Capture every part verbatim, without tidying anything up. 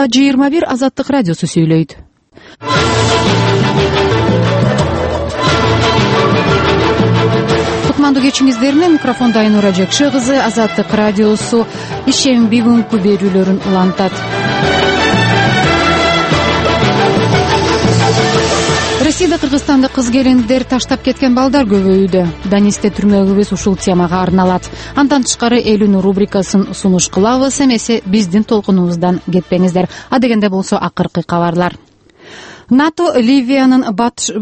жыйырма бир Азаттык радиосу сүйлөйт. Кутмандуу кечиңиздерине микрофондо Айнура Жекше кызы. Азаттык радиосу ишем бүгүнкү берүүлөрүн улантат. Россияда кыргызстандык кыз келиндер таштап кеткен балдар көбөйүүдө. Данисте түрмөгүбүз ушул темага арналат. Андан тышкары элүүнү рубрикасын сунуш кылабыз. Эмесе биздин толкунубуздан кетпеңиздер. Адегенде болсо акыркы кабарлар. НАТО Ливиянын батыш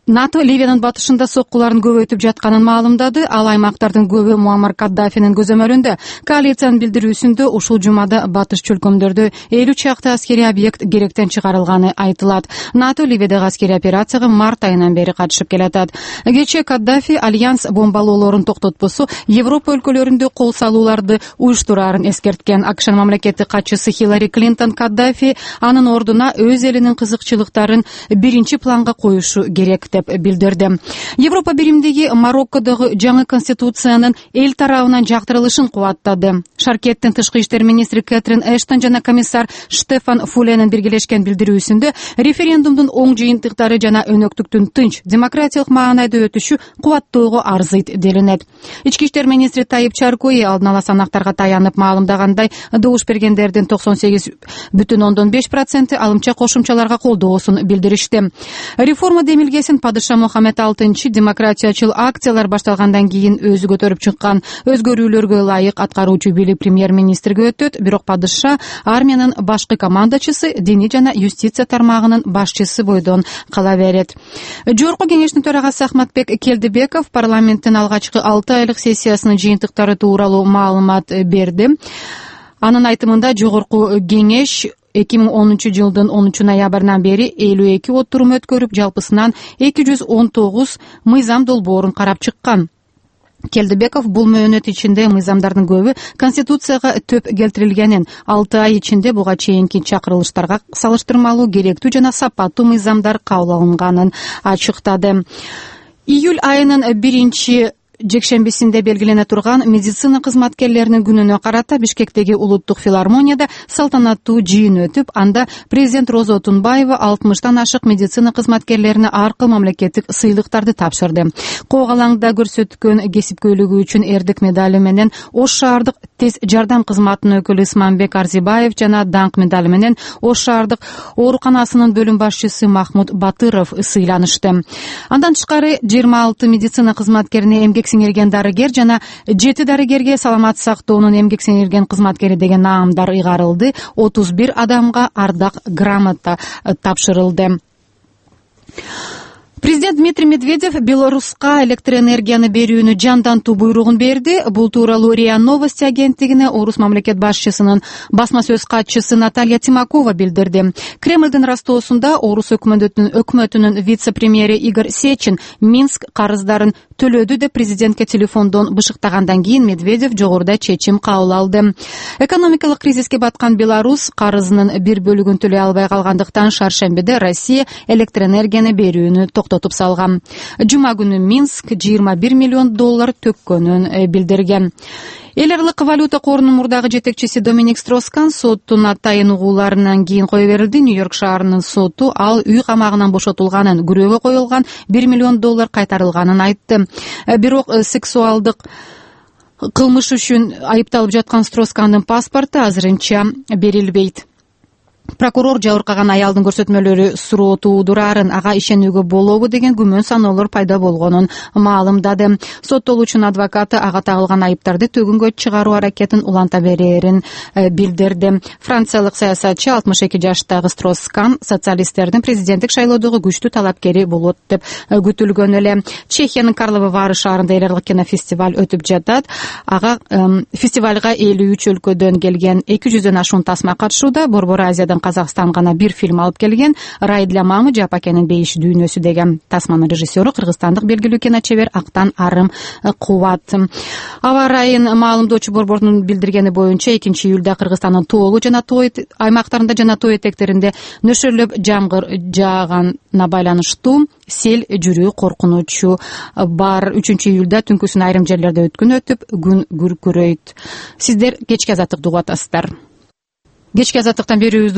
НАТО Ливиянын батышында соккуларын көбөйтүп жатканын маалымдады. Ал аймактардын көбү Муаммар Каддафинин көзөмөлүндө. Коалициянын билдирүүсүндө ушул жумада батыш чөлкөмдөрдө элүү чакты аскерий объект керектен чыгарылганы айтылат. НАТО Ливиядагы аскерий операцияга март айынан бери катышып келатат. Кечээ Каддафи альянс бомбалоолорун токтотпосо Европа өлкөлөрүндө кол салууларды уюштураарын эскерткен. АКШнын мамлекеттик катчысы Хиллари Клинтон Каддафи анын ордуна өз элинин кызыкчылыктарын биринчи планга коюшу керек деп билдирди. Европа биримдиги Мароккодогу жаңы конституциянын эл тарабынан жактырылышын кубаттады. Шаркеттин тышкы иштер министри Кэтрин Эштон жана комиссар Штефан Фуленин биргелешкен билдирүүсүндө референдумдун оң жыйынтыктары жана өнөктүктүн тынч демократиялык маанайда өтүшү кубаттоого арзыйт делинет. Ички иштер министри Таип Чаркои алдын ала санактарга таянып маалымдагандай, добуш бергендердин токсон сегиз бүтүн ондон беш проценти алымча кошумчаларга колдоосун билдиришти. Реформа демилгесин Падыша Мухаммед алтынчы демократиячыл акциялар башталгандан кийин өзү көтөрүп чыккан. Өзгөрүүлөргө ылайык аткаруучу бийлик премьер-министрге өтөт, бирок падыша армиянын башкы командачысы, диний жана юстиция тармагынын башчысы бойдон кала берет. Жогорку кеңештин төрагасы Ахматбек Келдибеков парламенттин алгачкы алты айлык сессиясынын жыйынтыктары тууралуу маалымат берди. Анын айтымында жогорку кеңеш эки миң онунчу жылдын онунчу ноябрынан бери элүү эки отурум өткөрүп, жалпысынан эки жүз он тогуз мыйзам долбоорун карап чыккан. Келдибеков бул мөөнөт ичинде мыйзамдардын көбү конституцияга төп келтирилгенин, алты ай ичинде буга чейинки чакырылыштарга салыштырмалуу керектүү жана сапаттуу мыйзамдар кабыл алынганын ачыктады. Июль айынын биринчи жекшембисинде белгилене турган медицина кызматкерлеринин күнүнө карата Бишкектеги улуттук филармонияда салтанаттуу жыйын өтүп, анда президент Роза Отунбаева алтымыштан ашык медицина кызматкерлерине ар кыл мамлекеттик сыйлыктарды тапшырды. Кок алаңда көрсөткөн кесипкөйлүгү үчүн эрдик медали менен Ош шаардык тез жардам кызматынын өкүлү Исманбек Арзибаев жана даңк медали менен Ош шаардык ооруканасынын бөлүм башчысы Махмуд Батыров сыйланышты. Андан тышкары жыйырма алты медицина кызматкерине эмгек сиңирген дарыгер жана жети дарыгерге саламат сактоонун эмгек сиңирген кызматкери деген наамдар ыйгарылды. отуз бир адамга ардак грамота тапшырылды. Президент Дмитрий Медведев Беларуска электроэнергияны берүүнү жандантуу буйругун берди. Бул тууралуу РИА Новости агенттигине орус мамлекет башчысынын басма сөз катчысы Наталья Тимакова билдирди. Кремлдин растоосунда орус өкмөтүнүн өкмөтүнүн вице-премьери Игорь Сечин Минск карыздарын төлөдү деп президентке телефондон бышыктагандан кийин Медведев жогоруда чечим кабыл алды. Экономикалык кризиске баткан Беларусь карызынын бир бөлүгүн төлөй албай калгандыктан шаршембиде Россия электроэнергияны берүүнү токтотуп салган. Жума күнү Минск жыйырма бир миллион доллар төккөнүн билдирген. Эл аралык валюта корунун мурдагы жетекчиси Доминик Строскан соттун атайын угууларынан кийин кое берилди. Нью-Йорк шаарынын соту ал үй камагынан бошотулганын, күрөөгө коюлган бир миллион доллар кайтарылганын айтты. Бирок сексуалдык кылмыш үчүн айыпталып жаткан Строскандын паспорту азырынча берилбейт. Прокурор жабыркаган аялдын көрсөтмөлөрү суроо туудурарын, ага ишенүүгө болобу деген күмөн саноолор пайда болгонун маалымдады. Соттолуучунун адвокаты ага тагылган айыптарды төгүнгө чыгаруу аракетин уланта берерин билдирди. Франциялык саясатчы алтымыш эки жаштагы Строскан социалисттердин президенттик шайлоодогу күчтүү талапкери болот деп күтүлгөн эле. Чехиянын Карловы Вары шаарында эл аралык кинофестиваль өтүп жатат. Ага фестивалга элүү үч өлкөдөн келген эки жүздөн ашуун тасма катышууда. Борбор Азиядан Казакстан гана бир фильм алып келген. Рай для мамы Жапакенин бейиш дүйнөсү деген тасманын режиссеру кыргызстандык белгилүү киночебер Актан Арым Кубат. Аба ырайын маалымдоочу борбордун билдиргени боюнча экинчи июлда Кыргызстандын тоолуу жана тоо аймактарында жана тоо этектеринде нөшөрлөп жамгыр жаагана байланыштуу сел жүрүү коркунучу бар. үчүнчү июлда түнкүсүн айрым жерлерде өткөн өтүп, күн күркүрөйт. Сиздер кечки азаттыкты угуп атасыздар. Кечки азаттыктан берүүбүздү